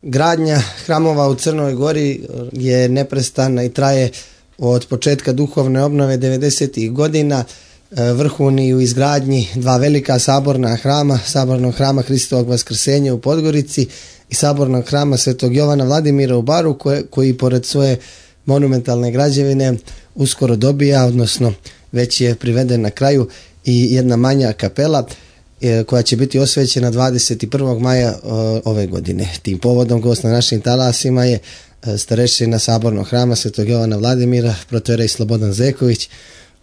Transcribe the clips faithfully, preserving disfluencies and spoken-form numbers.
Gradnja hramova u Crnoj Gori je neprestana i traje od početka duhovne obnove devedesetih godina. Vrhuni u izgradnji dva velika saborna hrama, sabornog hrama Hristovog Vaskrsenja u Podgorici i sabornog hrama Svetog Jovana Vladimira u Baru, koje, koji pored svoje monumentalne građevine uskoro dobija, odnosno već je priveden na kraju, i jedna manja kapela koja će biti osvećena dvadeset prvog maja ove godine. Tim povodom gost na našim talasima je starešina sabornog hrama Svetog Jovana Vladimira, protoijerej Slobodan Zeković.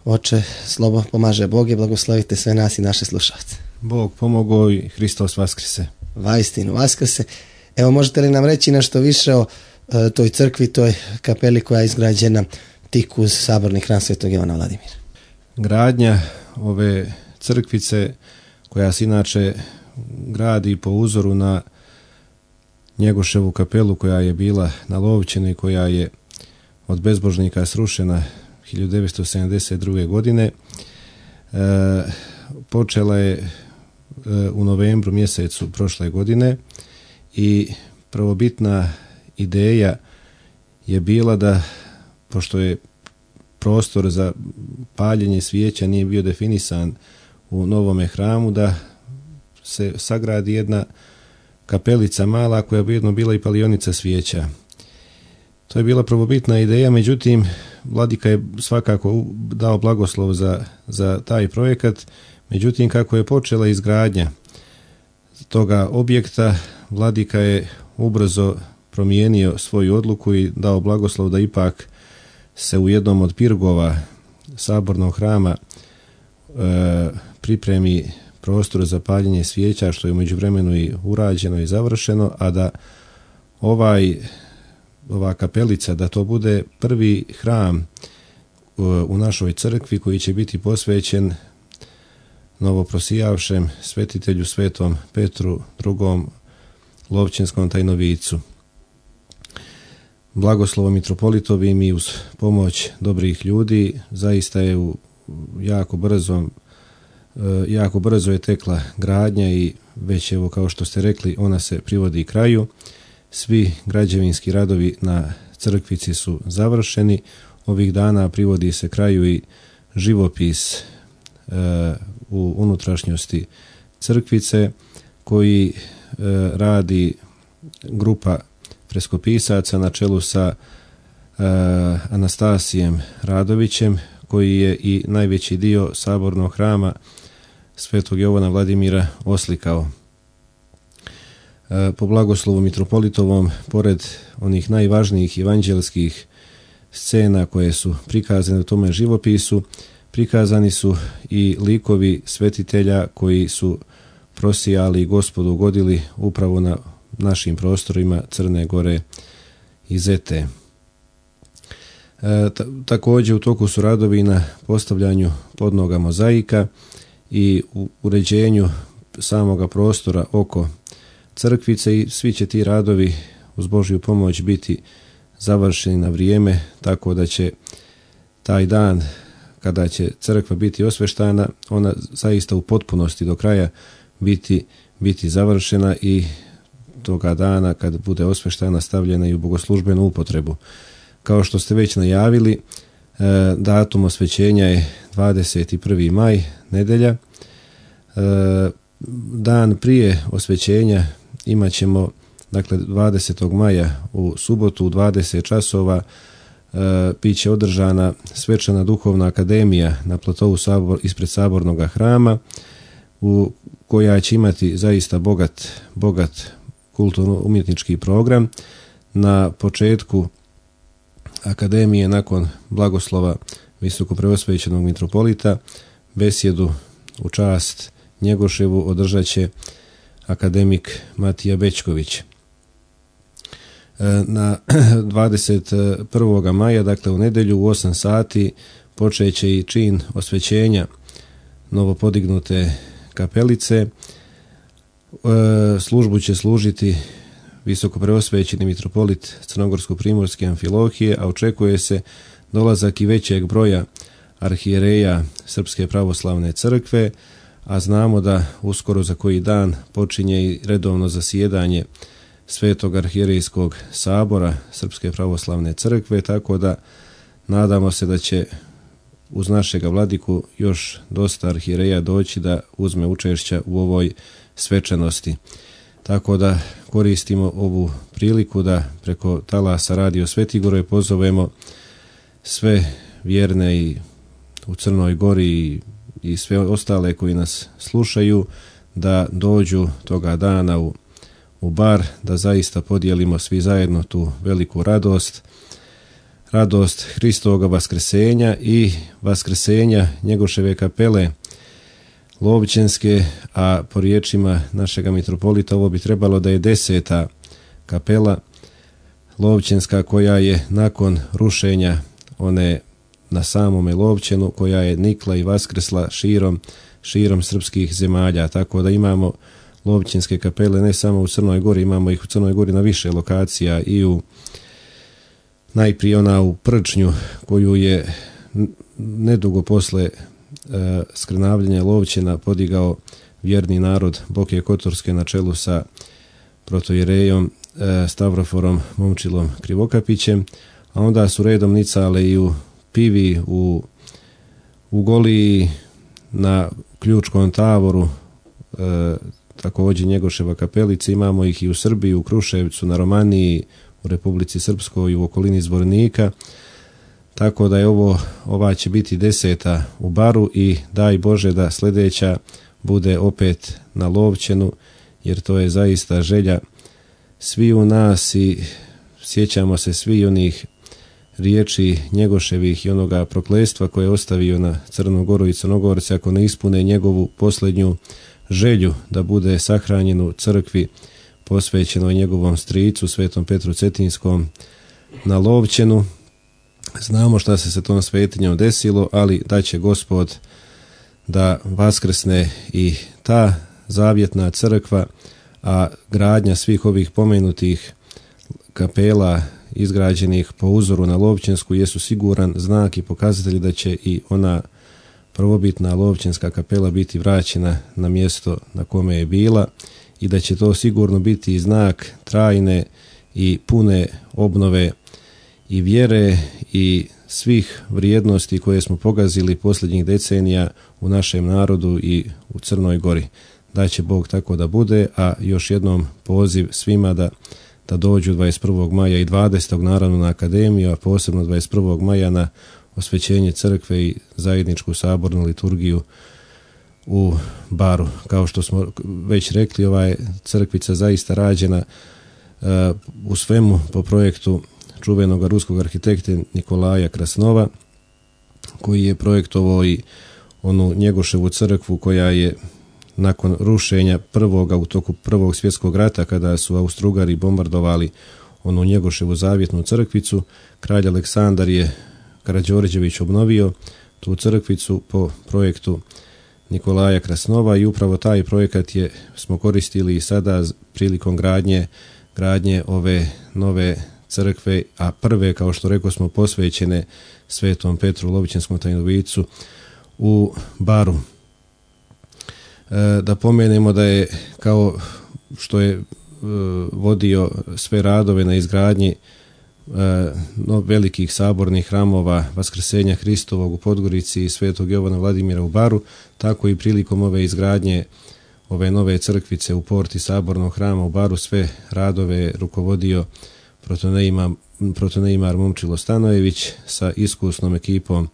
Oče, Slobo, pomaže Bog i blagoslovite sve nas i naše slušalce. Bog pomogao i Hristos vaskrse. Vaistinu vaskrse. Evo, možete li nam reći nešto više o e, toj crkvi, toj kapeli koja je izgrađena tik uz saborni hram Svetog Jovana Vladimira? Gradnja ove crkvice, koja se inače gradi po uzoru na Njegoševu kapelu koja je bila na Lovćenu i koja je od bezbožnika srušena hiljadu devetsto sedamdeset druge. godine, e, počela je e, u novembru mjesecu prošle godine i prvobitna ideja je bila da, pošto je prostor za paljenje svijeća nije bio definisan u novome hramu, da se sagradi jedna kapelica mala koja bi jedno bila i palionica svijeća. To je bila prvobitna ideja, međutim vladika je svakako dao blagoslov za, za taj projekat, međutim kako je počela izgradnja toga objekta, vladika je ubrzo promijenio svoju odluku i dao blagoslov da ipak se u jednom od pirgova sabornog hrama e, pripremi prostor za paljenje svijeća, što je u međuvremenu i urađeno i završeno, a da ovaj ova kapelica, da to bude prvi hram u našoj crkvi koji će biti posvećen novoprosijavšem svetitelju Svetom Petru drugom Lovćenskom tajnovicu. Blagoslovom mitropolitovim i uz pomoć dobrih ljudi zaista je u jako brzo, jako brzo je tekla gradnja i već, evo, kao što ste rekli, ona se privodi kraju. Svi građevinski radovi na crkvici su završeni. Ovih dana privodi se kraju i živopis e, u unutrašnjosti crkvice koji e, radi grupa freskopisaca na čelu sa e, Anastasijem Radovićem, koji je i najveći dio sabornog hrama Svetog Jovana Vladimira oslikao. Po blagoslovu mitropolitovom, pored onih najvažnijih evanđelskih scena koje su prikazane u tome živopisu, prikazani su i likovi svetitelja koji su prosijali i Gospodu ugodili upravo na našim prostorima Crne Gore i Zete. E, također u toku su radovi na postavljanju podnoga mozaika i u uređenju samoga prostora oko crkvice i svi će ti radovi uz Božju pomoć biti završeni na vrijeme, tako da će taj dan kada će crkva biti osveštana, ona zaista u potpunosti do kraja biti, biti završena i toga dana kad bude osveštana stavljena i u bogoslužbenu upotrebu. Kao što ste već najavili, datum osvećenja je dvadeset prvi maj, nedjelja. Dan prije osvećenja imat ćemo, dakle, dvadesetog maja u subotu u dvadeset časova e, bit će održana svečana duhovna akademija na platovu sabor, ispred sabornog hrama, u koja će imati zaista bogat, bogat kulturno-umjetnički program. Na početku akademije, nakon blagoslova visokopreosvećenog mitropolita, besjedu u čast Njegoševu održat će akademik Matija Bečković. Na dvadeset prvog maja, dakle u nedjelju u osam sati, počeće i čin osvećenja novopodignute kapelice. Službu će služiti visokopreosvećeni mitropolit Crnogorsko-primorske Amfilohije, a očekuje se dolazak i većeg broja arhijereja Srpske pravoslavne crkve, a znamo da uskoro za koji dan počinje i redovno zasjedanje Svetog arhijerejskog sabora Srpske pravoslavne crkve, tako da nadamo se da će uz našega vladiku još dosta arhijereja doći da uzme učešća u ovoj svečanosti. Tako da koristimo ovu priliku da preko talasa Radio Svetigoroj pozovemo sve vjerne i u Crnoj Gori i, i sve ostale koji nas slušaju da dođu toga dana u, u bar, da zaista podijelimo svi zajedno tu veliku radost, radost Hristovoga vaskrsenja i vaskrsenja Njegoševe kapele Lovćenske, a po riječima našega mitropolita ovo bi trebalo da je deseta kapela Lovćenska koja je nakon rušenja one na samome Lovćenu, koja je nikla i vaskresla širom, širom srpskih zemalja, tako da imamo Lovćenske kapele ne samo u Crnoj Gori, imamo ih u Crnoj Gori na više lokacija i u najprije ona u Prčnju koju je nedugo posle e, skrnavljenja Lovćena podigao vjerni narod Boke Kotorske na čelu sa protojerejom e, Stavroforom Momčilom Krivokapićem, a onda su redom nicale i u Pivi, u, u Goliji, na Ključkom Tavoru, e, također Njegoševa kapelica, imamo ih i u Srbiji, u Kruševcu, na Romaniji, u Republici Srpskoj i u okolini Zvornika, tako da je ovo, ova će biti deseta u Baru i daj Bože da sljedeća bude opet na Lovćenu, jer to je zaista želja svi u nas i sjećamo se svi onih riječi Njegoševih i onoga prokletstva koje je ostavio na Crnu Goru i Crnogorce ako ne ispune njegovu posljednju želju da bude sahranjen u crkvi posvećenoj njegovom stricu Svetom Petru Cetinskom na Lovćenu. Znamo šta se sa tom svetinjom desilo, ali da će Gospod da vaskrsne i ta zavjetna crkva, a gradnja svih ovih pomenutih kapela izgrađenih po uzoru na Lovćensku jesu siguran znak i pokazatelj da će i ona prvobitna Lovćenska kapela biti vraćena na mjesto na kome je bila i da će to sigurno biti znak trajne i pune obnove i vjere i svih vrijednosti koje smo pogazili posljednjih decenija u našem narodu i u Crnoj Gori. Da će Bog tako da bude, a još jednom poziv svima da, da dođu dvadeset prvog maja i dvadesetog naravno na akademiju, a posebno dvadeset prvog maja na osvećenje crkve i zajedničku sabornu liturgiju u Baru. Kao što smo već rekli, ova je crkvica zaista rađena uh, u svemu po projektu čuvenog ruskog arhitekte Nikolaja Krasnova, koji je projektovao i onu Njegoševu crkvu koja je nakon rušenja prvoga u toku Prvog svjetskog rata, kada su Austro-Ugari bombardovali onu Njegoševu zavjetnu crkvicu, kralj Aleksandar je Karađorđević obnovio tu crkvicu po projektu Nikolaja Krasnova i upravo taj projekat je smo koristili i sada prilikom gradnje gradnje ove nove crkve, a prve, kao što rekao smo, posvećene Svetom Petru Lovćenskom tajnovicu u Baru. E, da pomenemo da je, kao što je e, vodio sve radove na izgradnji e, no, velikih sabornih hramova Vaskrsenja Hristovog u Podgorici i Svetog Jovana Vladimira u Baru, tako i prilikom ove izgradnje ove nove crkvice u porti sabornog hrama u Baru sve radove rukovodio protoneimar Momčilo Stanojević sa iskusnom ekipom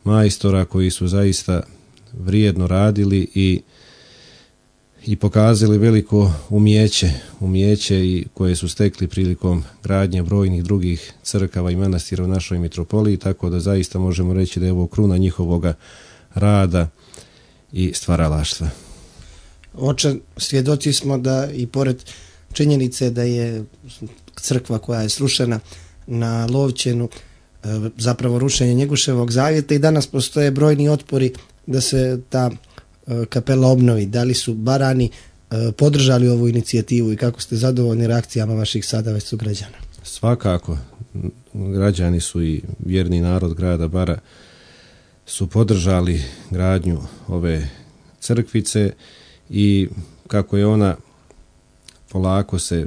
majstora koji su zaista vrijedno radili i i pokazali veliko umjeće, umjeće i koje su stekli prilikom gradnje brojnih drugih crkava i manastira u našoj mitropoliji, tako da zaista možemo reći da je ovo kruna njihovoga rada i stvaralaštva. Oče, svjedoci smo da i pored činjenice da je crkva koja je srušena na Lovćenu zapravo rušenje Njegoševog zavjeta i danas postoje brojni otpori da se ta kapela obnovi. Da li su Barani podržali ovu inicijativu i kako ste zadovoljni reakcijama vaših sada već sugrađana? Svakako, građani su i vjerni narod grada Bara su podržali gradnju ove crkvice i kako je ona polako se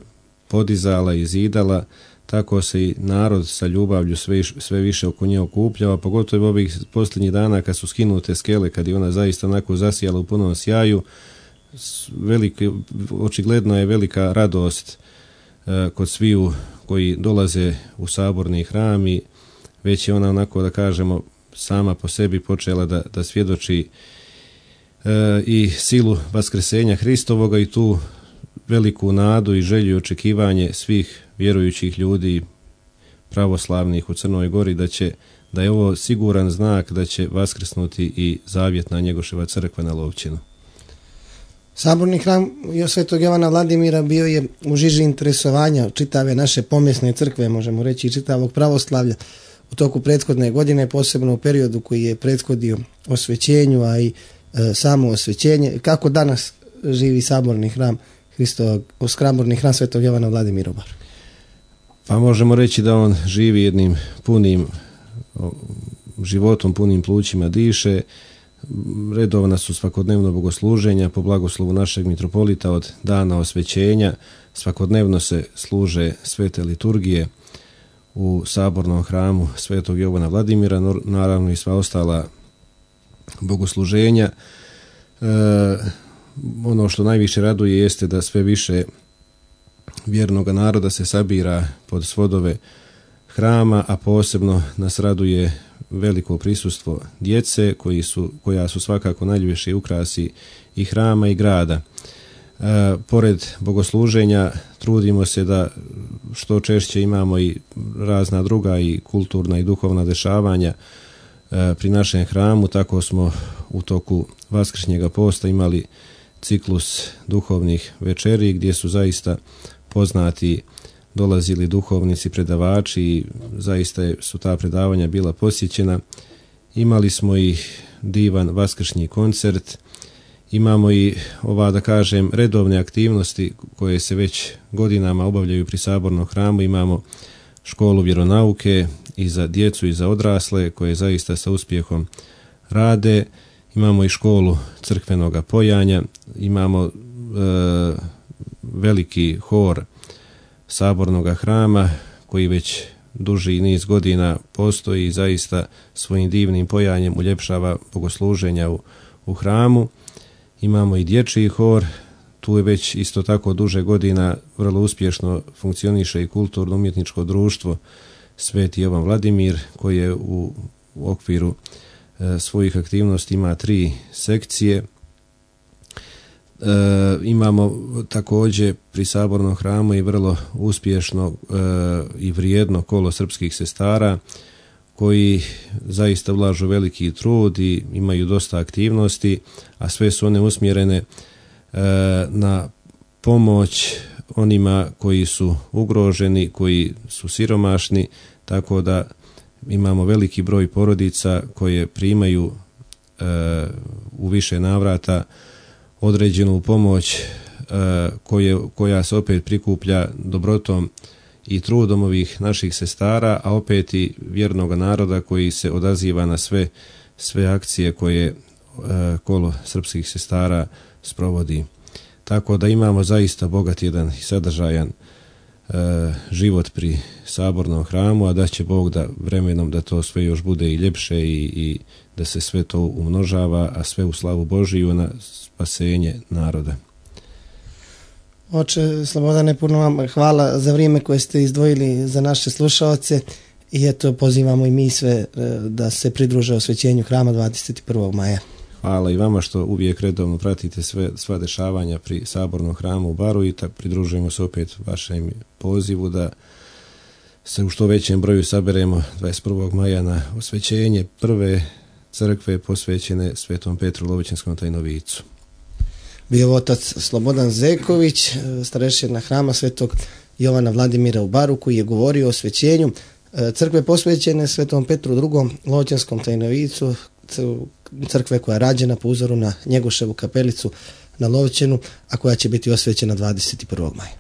podizala i zidala, tako se i narod sa ljubavlju sve, sve više oko nje okupljava, pogotovo ovih posljednjih dana kad su skinute skele, kad je ona zaista onako zasijala u punom sjaju. Veliki, očigledno je velika radost e, kod sviju koji dolaze u saborni hram i već je ona onako da kažemo sama po sebi počela da, da svjedoči e, i silu vaskresenja Hristovoga i tu veliku nadu i želju i očekivanje svih vjerujućih ljudi pravoslavnih u Crnoj Gori da će da je ovo siguran znak da će vaskrsnuti i zavjetna Njegoševa crkva na Lovćinu. Saborni hram Svetog Jovana Vladimira bio je u žiži interesovanja čitave naše pomjesne crkve, možemo reći i čitavog pravoslavlja u toku prethodne godine, posebno u periodu koji je prethodio osvećenju, a i e, samo osvećenje. Kako danas živi saborni hram Hristovog, saborni hram Svetog Jovana Vladimira u Baru? Pa možemo reći da on živi jednim punim životom, punim plućima diše. Redovna su svakodnevno bogosluženja po blagoslovu našeg mitropolita od dana osvećenja. Svakodnevno se služe svete liturgije u sabornom hramu Svetog Jovana Vladimira, naravno i sva ostala bogosluženja. E, ono što najviše raduje jeste da sve više vjernog naroda se sabira pod svodove hrama, a posebno nas raduje veliko prisustvo djece koji su, koja su svakako najljepši ukrasi i hrama i grada. E, pored bogosluženja trudimo se da što češće imamo i razna druga i kulturna i duhovna dešavanja e, pri našem hramu. Tako smo u toku Vaskršnjega posta imali ciklus duhovnih večeri gdje su zaista poznati dolazili duhovnici, predavači i zaista su ta predavanja bila posjećena. Imali smo i divan vaskršnji koncert, imamo i ova da kažem redovne aktivnosti koje se već godinama obavljaju pri sabornom hramu. Imamo školu vjeronauke i za djecu i za odrasle koje zaista sa uspjehom rade. Imamo i školu crkvenoga pojanja, imamo e, veliki hor sabornog hrama koji već duži niz godina postoji i zaista svojim divnim pojanjem uljepšava bogosluženja u, u hramu. Imamo i dječji hor, tu je već isto tako duže godina vrlo uspješno funkcioniše i kulturno-umjetničko društvo Sveti Jovan Vladimir koji je u, u okviru e, svojih aktivnosti ima tri sekcije. E, imamo također pri sabornom hramu i vrlo uspješno e, i vrijedno kolo srpskih sestara koji zaista ulažu veliki trud i imaju dosta aktivnosti, a sve su one usmjerene e, na pomoć onima koji su ugroženi, koji su siromašni, tako da imamo veliki broj porodica koje primaju e, u više navrata određenu pomoć e, koje, koja se opet prikuplja dobrotom i trudom ovih naših sestara, a opet i vjernog naroda koji se odaziva na sve, sve akcije koje e, kolo srpskih sestara sprovodi. Tako da imamo zaista bogat jedan i sadržajan e, život pri sabornom hramu, a da će Bog da vremenom da to sve još bude i ljepše i, i da se sve to umnožava, a sve u slavu Božiju na spasenje naroda. Oče Slobodane, puno vam hvala za vrijeme koje ste izdvojili za naše slušaoce i eto pozivamo i mi sve da se pridruže osvećenju hrama dvadeset prvog maja. Hvala i vama što uvijek redovno pratite sve, sva dešavanja pri sabornom hramu u Baru i tako pridružujemo se opet vašem pozivu da se u što većem broju saberemo dvadeset prvog maja na osvećenje prve crkve posvećene Svetom Petru Lovićanskom tajnovicu. Bio otac Slobodan Zeković, starešina hrama Svetog Jovana Vladimira u Baru, koji je govorio o osvećenju crkve posvećene Svetom Petru drugom Lovićanskom tajnovicu, crkve koja je rađena po uzoru na Njegoševu kapelicu na Lovćenu, a koja će biti osvećena dvadeset prvog maja.